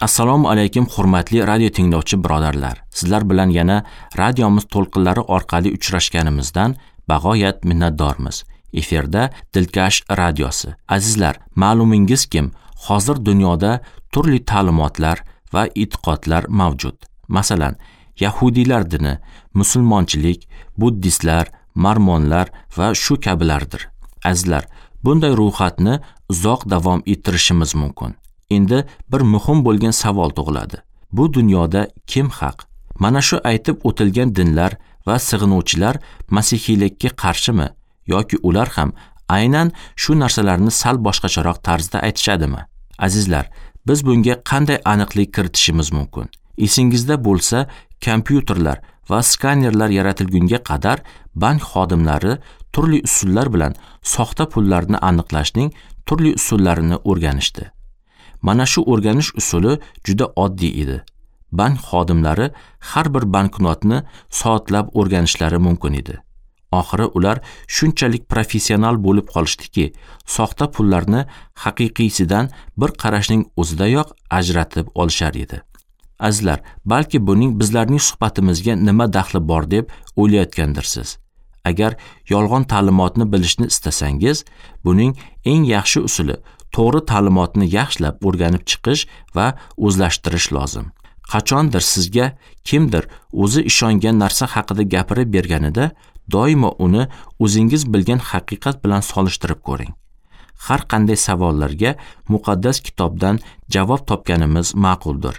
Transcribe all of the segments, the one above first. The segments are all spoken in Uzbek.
Assalomu alaykum hurmatli radio tinglovchi birodarlar. Sizlar bilan yana radiomiz to'lqinlari orqali uchrashganimizdan bag'oyat minnatdormiz. Efirda Dilkash radiosi. Azizlar, ma'lumingizkim, hozir dunyoda turli ta'limotlar va e'tiqodlar mavjud. Masalan, yahudiylar dini, musulmonchilik, buddistlar, marmonlar va shu kabilardir. Azizlar, bunday ro'yxatni uzoq davom ettirishimiz mumkin. Endi bir muhim bo'lgan savol tug'iladi. Bu dunyoda kim haq? Mana shu aytib o'tilgan dinlar va sig'inuvchilar masihiylikka qarshimi yoki ular ham aynan shu narsalarni sal boshqacharoq tarzda aytishadimi? Azizlar, biz bunga qanday aniqlik kiritishimiz mumkin? Esingizda bo'lsa, kompyuterlar va skanerlar yaratilgunga qadar bank xodimlari turli usullar bilan soxta pullarni aniqlashning turli usullarini o'rganishdi. Mana shu o'rganish usuli juda oddiy edi. Bank xodimlari har bir banknotni soatlab o'rganishlari mumkin edi. Oxiri ular shunchalik professional bo'lib qolishdiki, soxta pullarni haqiqiysidan bir qarashning o'zidayoq ajratib olishar edi. Azizlar, balki buning bizlarning suhbatimizga nima daxli bor deb o'ylayotgandirsiz. Agar yolg'on ta'limotni bilishni istasangiz, buning eng yaxshi usuli to'g'ri ta'limotni yaxshilab o'rganib chiqish va o'zlashtirish lozim. Qachondir sizga kimdir o'zi ishongan narsa haqida gapirib berganida, doimo uni o'zingiz bilgan haqiqat bilan solishtirib ko'ring. Har qanday savollarga muqaddas kitobdan javob topganimiz ma'quldir.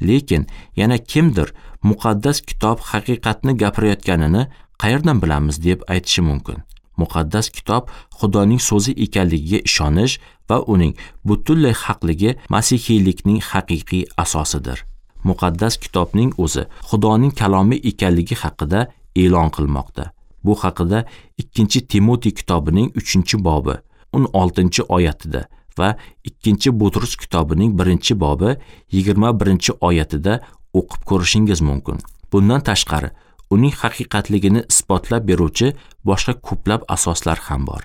Lekin yana kimdir muqaddas kitob haqiqatni gapirayotganini qayerdan bilamiz deb aytishi mumkin. Muqaddas kitob Xudoning so'zi ekanligiga ishonish va uning butunlay haqligi masihiylikning haqiqiy asosidir. Muqaddas kitobning o'zi Xudoning kalomi ekanligi haqida e'lon qilmoqda. Bu haqida 2-Timotey kitobining 3-bobi 16-oyatida va 2-Butrus kitobining 1-bobi 21-oyatida o'qib ko'rishingiz mumkin. Bundan tashqari, uning haqiqatligini isbotlab beruvchi boshqa ko'plab asoslar ham bor.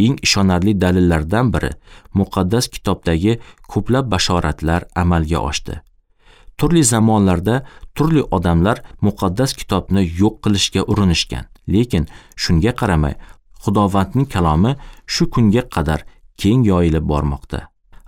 Eng ishonarli dalillardan biri muqaddas kitobdagi ko'plab bashoratlar amalga oshdi. Turli zamonlarda turli odamlar muqaddas kitobni yo'q qilishga urinishgan, lekin shunga qaramay Xudovandning kalomi shu kunga qadar keng yoyilib bormoqda.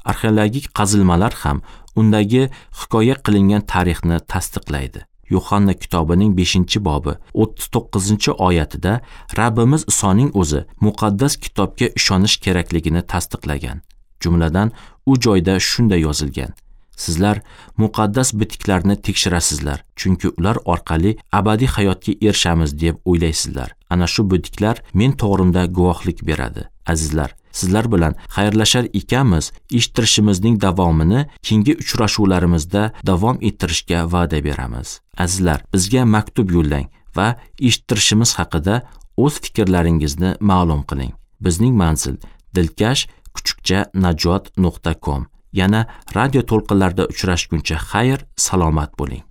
Arxeologik qazilmalar ham undagi hikoya qilingan tarixni tasdiqlaydi. Yo'hanna kitobining 5-bobi 39-oyatida Rabbimiz Isoning o'zi muqaddas kitobga ishonish kerakligini tasdiqlagan. Jumladan, u joyda shunday yozilgan: Sizlar muqaddas bitiklarni tekshirasizlar, chunki ular orqali abadiy hayotga erishamiz deb o'ylaysizlar. Ana shu bitiklar men to'g'rimda guvohlik beradi. Azizlar, sizlar bilan xayrlashar ekanmiz, eshittirishimizning davomini keyingi uchrashuvlarimizda davom ettirishga va'da beramiz. Azizlar, bizga maktub yo'llang va eshittirishimiz haqida o'z fikrlaringizni ma'lum qiling. Bizning manzil dilkash@najot.com. Yana radio to'lqinlarida uchrashguncha xayr, salomat bo'ling.